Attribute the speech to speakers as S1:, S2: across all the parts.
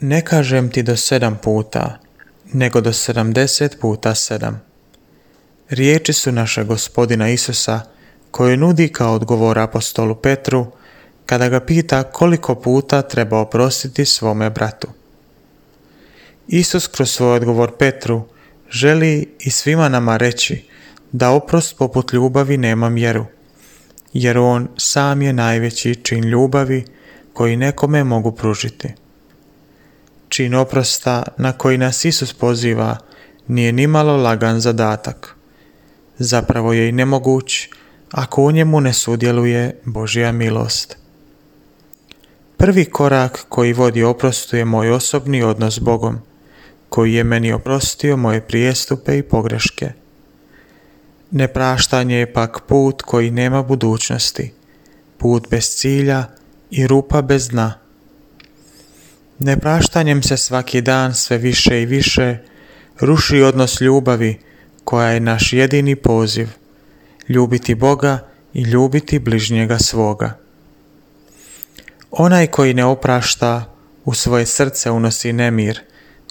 S1: Ne kažem ti do 7 puta, nego do 70 puta 7. Riječi su našeg Gospodina Isusa koje nudi kao odgovor apostolu Petru kada ga pita koliko puta treba oprostiti svome bratu. Isus kroz svoj odgovor Petru želi i svima nama reći da oprost poput ljubavi nema mjeru, jer on sam je najveći čin ljubavi koji nekome mogu pružiti. Čin oprosta na koji nas Isus poziva nije nimalo lagan zadatak. Zapravo je i nemoguć ako u njemu ne sudjeluje Božja milost. Prvi korak koji vodi oprostu je moj osobni odnos s Bogom, koji je meni oprostio moje prijestupe i pogreške. Nepraštanje je pak put koji nema budućnosti, put bez cilja i rupa bez dna. Nepraštanjem se svaki dan sve više i više ruši odnos ljubavi koja je naš jedini poziv, ljubiti Boga i ljubiti bližnjega svoga. Onaj koji ne oprašta u svoje srce unosi nemir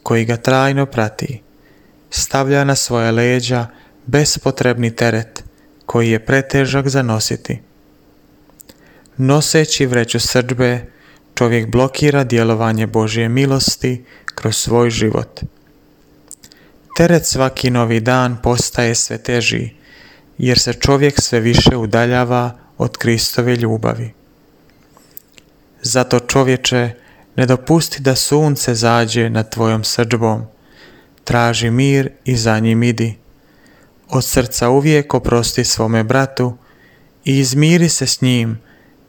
S1: koji ga trajno prati, stavlja na svoja leđa bespotrebni teret koji je pretežak za nositi. Noseći vreću srdbe, čovjek blokira djelovanje Božje milosti kroz svoj život. Teret svaki novi dan postaje sve teži, jer se čovjek sve više udaljava od Kristove ljubavi. Zato, čovječe, ne dopusti da sunce zađe nad tvojom srdžbom. Traži mir i za njim idi. Od srca uvijek oprosti svome bratu i izmiri se s njim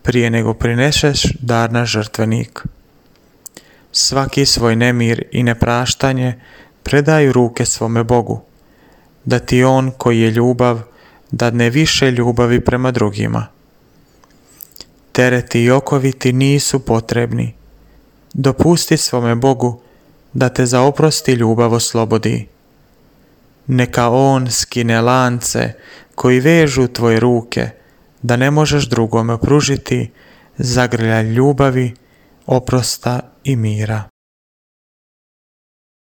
S1: prije nego prineseš dar na žrtvenik. Svaki svoj nemir i nepraštanje predaj u ruke svome Bogu, da ti on koji je ljubav dadne više ljubavi prema drugima. Tereti i okovi ti nisu potrebni. Dopusti svome Bogu da te za oprosti ljubav oslobodi. Neka on skine lance koji vežu tvoje ruke, da ne možeš drugome pružiti zagrljaj ljubavi, oprosta i mira.